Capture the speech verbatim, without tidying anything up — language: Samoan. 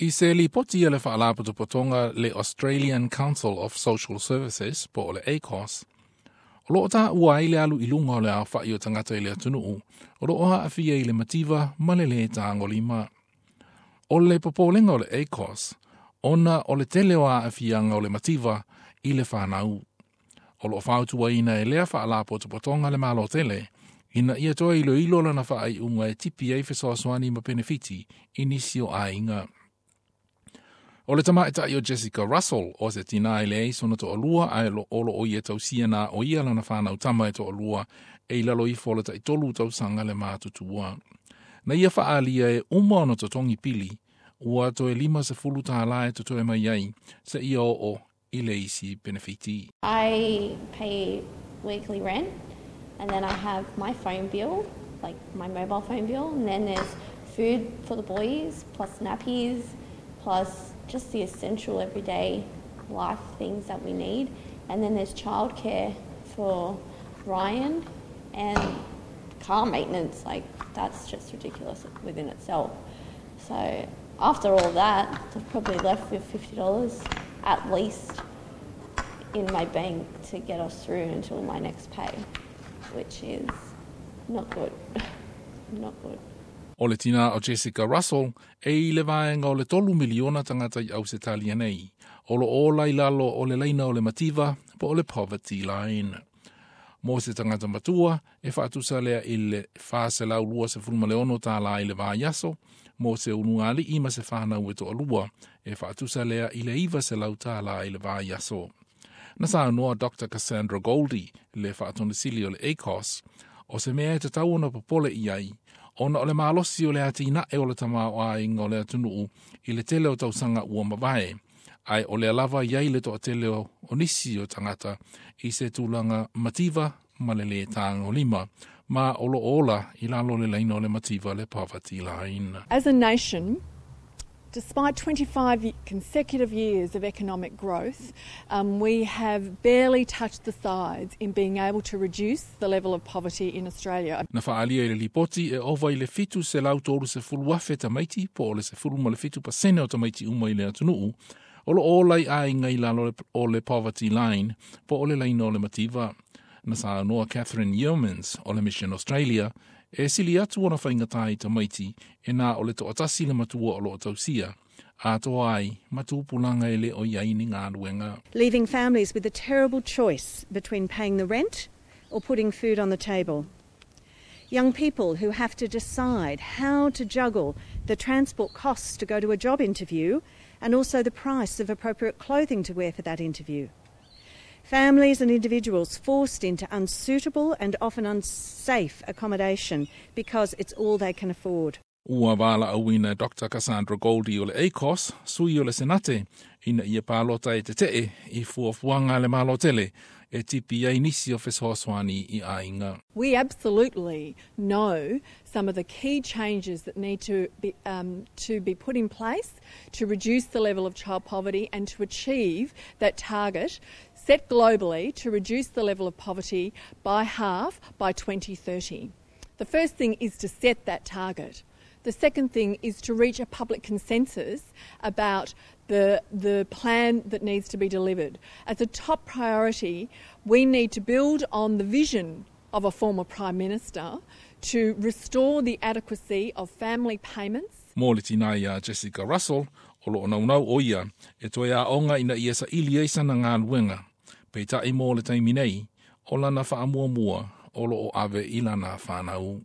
I se lipoti a le faalapotopotoga le Australian Council of Social Services po o le ACOSS, o loo taua ai le alu i luga o le aofai o tagata i le atunuu, o loo aafia i le mativa ma le lē tagolima. O le popolega o le ACOSS, ona o le tele o aafiaga o le mativa i le fanau. O loo fautuaina e lea faalapotopotoga le Malo tele, ina ia toe iloilo lana faaiuga e tipi ai fesoasoani ma penefiti i nisi o aiga. O le tamaitai o Jessica Russell o se tinā e leai sona toalua ae o loo ia tausia na o ia lana fanau tama e toalua e i lalo ifo o le taitolu tausaga le matutua. Na ia faaalia e uma ona totogi pili, ua toe lima sefulu tālā e totoe mai ai, seia oo i le isi penefiti. I pay weekly rent and then I have my phone bill, like my mobile phone bill, and then there's food for the boys, plus nappies, plus just the essential everyday life things that we need. And then there's childcare for Ryan and car maintenance, like that's just ridiculous within itself. So after all that, I've probably left with fifty dollars at least in my bank to get us through until my next pay, which is not good. Not good. O le tina o Jessica Russell e i le vaega o le tolu miliona tagata i Ausetalia nei, o loo ola i lalo o le laina o le mativa po o le poverty line. Mo se tagata matua e faatusa lea i le fa selau lua sefulu ma le ono tālā i le vaiaso, mo se ulugalii ma se fanau e toalua e faatusa lea i le iva selau tālā i le vaiaso. Na saunoa Doctor Cassandra Goldie, le faatonesili o le ACOSS, o se mea e tatau ona popole i ai, ona o le malosi o le atinae o le tamaoaiga o le atunuu i le tele o tausaga ua mavae, ae o lea lava i ai le toatele o nisi o tagata i se tulaga mativa ma le lē tagolima, ma o loo ola i lalo le laina o le mativa le poverty line. As a nation, despite twenty-five consecutive years of economic growth, um, we have barely touched the sides in being able to reduce the level of poverty in Australia. Na faaalia i le lipoti e ova i le fitu selau tolu sefulu afe tamaiti po o le sefulu ma le fitu pasene o tamaiti uma i le atunuu, o loo ola i aiga i lalo o le poverty line po o le laina o le mativa. Na saunoa Catherine Yeomans o le Mission Australia, e sili atu ona faigata i tamaiti e na o le toatasi le matua o loo tausia, atoa ai ma tupulaga e le o i ai ni galuega. Leaving families with a terrible choice between paying the rent or putting food on the table. Young people who have to decide how to juggle the transport costs to go to a job interview and also the price of appropriate clothing to wear for that interview. Families and individuals forced into unsuitable and often unsafe accommodation because it's all they can afford. Ua valaauina Doctor Cassandra Goldie o le ACOSS, sui o le Senate, ina ia palota e tetee i fuafuaga le Malo tele e tipi ai nisi o fesoasoani i aiga. We absolutely know some of the key changes that need to be, um, to be put in place to reduce the level of child poverty and to achieve that target set globally to reduce the level of poverty by half by twenty thirty. The first thing is to set that target. The second thing is to reach a public consensus about the, the plan that needs to be delivered. As a top priority, we need to build on the vision of a former Prime Minister to restore the adequacy of family payments. Mo le tina ia Jessica Russell, o loo naunau o ia, e toe aoga ina ia saili ai sana galuega. Peitai mo le taimi nei, o lana faamuamua o loo ave i lana fanau.